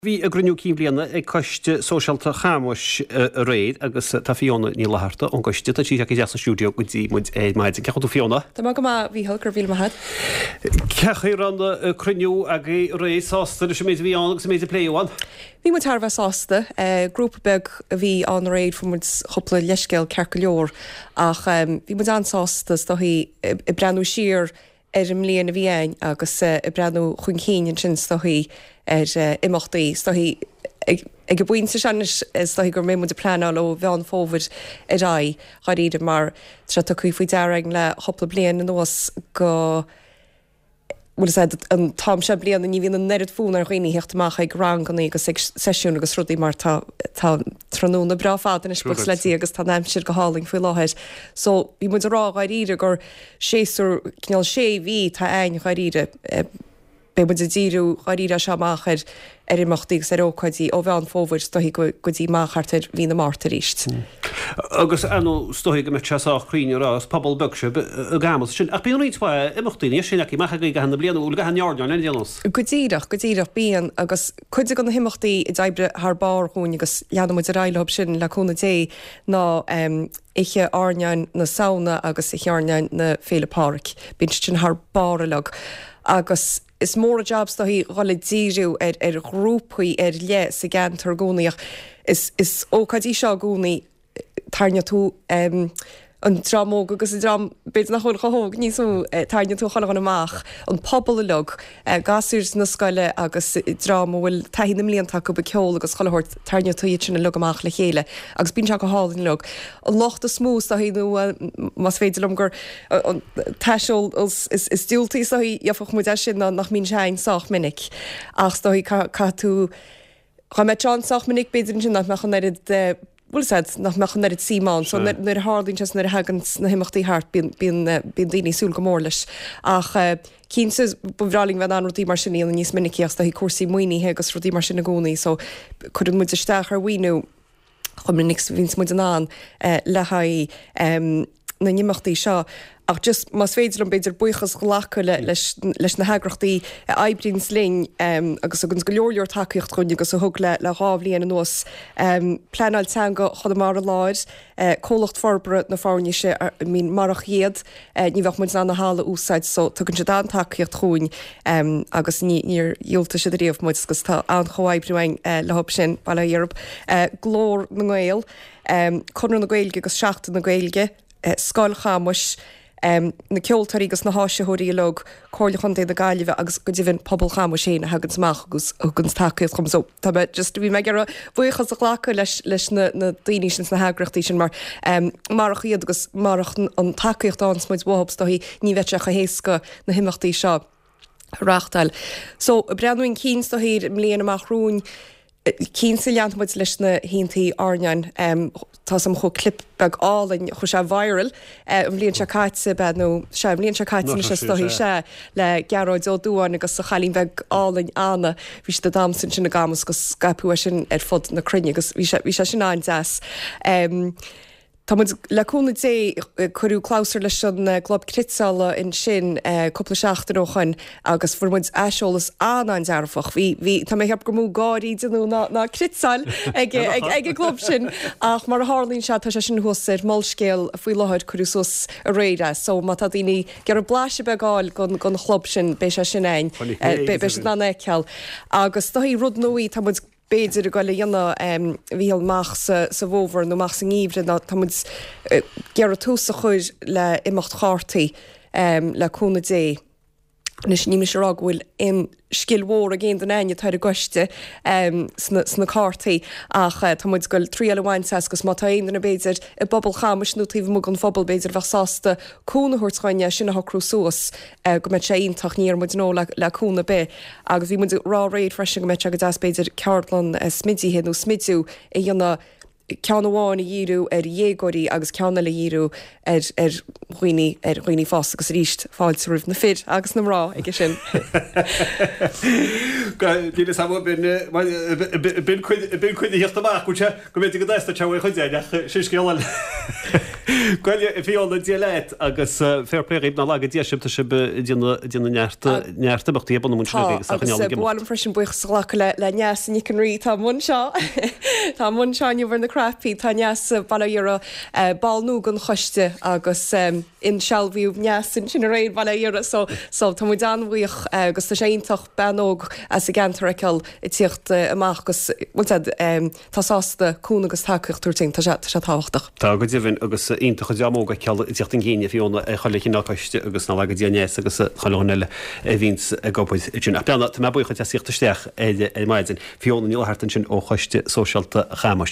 Bhí a gcruinniú cinn bhliana ag Coiste Sóisialta Chamuis aréir agus tá Fiona Ní Fhlatharta ón gcoiste, tá sí isteach sa stiúideo go dtí muid ar maidin. Cén chaoi a bhfuil tú Fiona? Tá mé go maith, a Mhícheál, go raibh míle maith agat. Cén chaoi a raibh an cruinniú agaibh aréir? Sásta leis an méid a bhí ann agus an méid a pléadh ann? Bhí muid thar a bheith sásta. Grúpa beag a bhí ann aréir, fuair muid cúpla leithscéal ceart go leor ach bhí muid an-sásta is dóichí ag breathnú siar ar an mbliain a bhí a'ainn agus ag breathnú chun cinn ansin is dóichí ar imeachtaí, is dóichí ag an bpointe seo anois is dóichí go mbeidh muid ag pleanáil ó Mheán Fómhair ar aghaidh, dháiríre, mar tá sé tugtha faoi deara againn le chúpla bliain anuas go bhfuil fhios a'd an t-am seo bliana ní bhíonn an oiread fonn ar dhaoine theacht amach ag ranganna agus ag seisiúin agus rudaí mar tá tá tráthnóna breá fada anois buíochas le Dia agus tá an aimsir go hálainn faoi láthair. So bhí muid ag rá dháiríre gur séasúr cineál sé mhí atá a'ainn dháiríre. Beidh muid ag díriú dháiríre as seo amach ar ar imeachtaí agus ar ócáidí ó Mheán Fómhair is dóichí go go dtí amach thart ar mhí na Márta arís. Agus ar ndóigh is dóichí go mbeadh sé sách cruinn a rá is pobal beag sibh i gCamus sin. Ach bíonn roinnt mhaith imeachtaí níos sine acu amach agaibh i gcaitheamh na bliana, bhfuil i gcaitheamh an airneáin ar aon nós? Go díreach, go díreach, bíonn agus cuid de na himeachtaí a d'oibrigh thar barr dhúinn agus leanfaidh muid ar aghaidh leo sin le cúnamh Dé ná Oíche Airneáin na Samhna agus Oíche Airneáin na Féile Pádraig. Bíonn siad sin thar barr uilig. Agus is mór an jab is dóichí dhul ag díriú ar ar ghrúpaí ar leith sa gceantar i gcónaí ach is is ócáid í seo i gcónaí tarraingíonn tú an dream óg agus an dream b'fhéidir nach bhfuil chomh hóg níos mó, tarraingíonn tú chuile dhuine amach, an pobal uilig, gasúir na scoile agus dream a bhfuil taithí na mblianta acu ag ceol agus chuile shórt, tarraingíonn tú iad sin uilig amach le chéile agus bíonn sé go hálainn uilig. An locht is mó is dóichí nó más féidir liom gur an t-aiseolas is diúltaí is dóichí gheobhadh muid as sin ná nach mbíonn sé a'ainn sách minic ach is dóichí caithfidh tú Dá mbeadh sé ann sách minic b'fhéidir ansin nach mbeadh an oiread de, bhfuil fhios a'd, nach mbeadh an oiread suim ann. So nuair a tharlaíonn sé is nuair a thagann na himeachtaí thart bíonn, bíonn, bíonn daoine ag súil go mór leis. Ach cinnte ba bhreá linn bheith in ann rudaí mar sin a dhéanamh níos minicí ach is dóichí cúrsaí maoinithe agus rudaí mar sin i gcónaí so cuireann muid isteach ar mhaoiniú chomh minic is a bhíonns muid in ann le haghaidh na n-imeachtaí seo. Ach just más féidir liom b'fhéidir buíochas a ghlacadh le leis leis na heagrachtaí a oibríonns linn agus a thuganns go leor leor tacaíocht dhúinn agus a thug le le 2 bhliain anuas. Pleanáil Teanga Chonamara Láir, Comhlacht Forbartha na Foirnise, I mean marach iad ní bheadh muid in ann an halla a úsáid so tugann siad an-tacaíocht chugainn agus ní níor dhiúltaigh siad ariamh muid agus tá an-chomhoibriú againn leo sin, bail ó Dhia orthu. Glór na nGael, Conradh na Gaeilge agus Seachtain na Gaeilge, Scoil Chamuis, na ceoltóirí agus na háisitheoirí uilig, Comhairle Chontae na Gaillimhe agus go deimhin pobal Chamuis féin a thaganns amach agus a thuganns tacaíocht dhom. So tá mé just, bhí mé ag iarraidh buíochas a ghlacadh leis leis na na daoine sin sna heagraíochtaí sin mar marach iad agus marach an tacaíocht a fhaigheanns muid uathu is dóichí ní bheadh sé chomh héasca na himeachtaí seo a reáchtáil. So ag breathnú chun cinn is dóichí ar an mbliain amach romhainn, Cinnte leanfaidh muid leis na hoícheantaí airneáin. Tá 's a'm chuaigh clip beag álainn, chuaigh sé viral an bhliain seo caite, b'ea nó sea an bhliain seo caite anois is dóichí, sea, le Gearóid Ó Dúáin agus a chailín bheag álainn Anna. Bhí siad ag damhsa ansin i gCamus agus scaipeadh é sin ar fud na cruinne agus bhí sé bhí sé sin an-deas. Tá muid, le cúnamh Dé, cuireadh clabhsúr leis an gClub Cniotála ansin cúpla seachtain ó shoin agus fuair muid aiseolas an-an-dearfach. Bhí, bhí, tá mé ag ceapadh gur mó gáirí a déanadh ná, ná cniotáil ag, ag, ag an gclub sin ach mar a tharlaíonn sé, tá sé sin thuas ar Molscéal faoi láthair, cuireadh suas aréir é. So má tá daoine ag iarraidh blaiseadh beag a fháil gon, gon chlub sin, beidh sé sin ann, beidh siad in ann é a fheiceáil. Agus is dóichí rud nua, tá muid, b'fhéidir ag goil a dhéanamh a Mhíchíl amach sa bhfómhar nó amach sa ngeimhreadh ná tá muid ag iarraidh tús a chur le imeacht chártaí le cúnamh Dé. Anois ní mise a rá go bhfuil aon scil mhór ag aon duine againn atá ar an gcoiste sna cártaí ach tá muid ag goil triail a bhaint as agus má tá aon duine b'fhéidir i bpobal Chamuis nó taobh amuigh den phobal b'fhéidir a bheadh sásta cúnamh a thabhairt dhúinn é sin a shocrú suas go mbeadh sé iontach, ní dhéarfaidh muid no le cúnamh ar bith. Agus bhí muid ag rá aréir freisin go mbeadh sé go deas b'fhéidir ceardlann smidithe nó smidiú a dhéanamh. ceann amháin a dhíriú ar dhéagóirí agus ceann eile a dhíriú ar ar dhaoine ar dhaoine fásta agus arís fáilte roimh na fir agus na mná aige sin. Níl fhios agam b'in cuid b'in cuid a theacht amach go sé go mb'fhéidir go dteastódh sé uaidh chuid air ach sin scéal eile. Bhuel a Fiona Dia leat agus fair play dhaoibh ná laga Dia sibh tá sibh ag déanamh neart neart imeachtaí ag bunú ansin Tá agus á agus choinneáil ag ba mhaith imeacht. liom freisin buíochas a ghlacadh le le Neasa Nic an Rí atá amuigh anseo tá amuigh anseo inniu ar na cnaipí tá Neasa bail ó Dhia uirthi ball nua den choiste agus insealbhaíodh Neasa ansin aréir bail ó Dhia uirthi so so tá muid an-bhuíoch agus tá sé iontach bean óg as an gceantar a fheiceáil ag tíocht amach agus bhfuil siad tá sásta cúnamh agus tacaíocht a thabhairt dúinn tá sé tá sé tábhachtach. Tá go deimhin agus iontach an dream óg a fheiceáil ag tíocht chun cinn a Fiona ar chuile chineál coiste agus ná laga Dia Neasa agus chuile dhuine eile a bhíonns ag obair ansin. Ach Beanna, tá mé buíoch duit as tíocht isteach ar maidin. Fiona Ní Fhlatharta ansin ó Choiste Sóisialta Chamuis.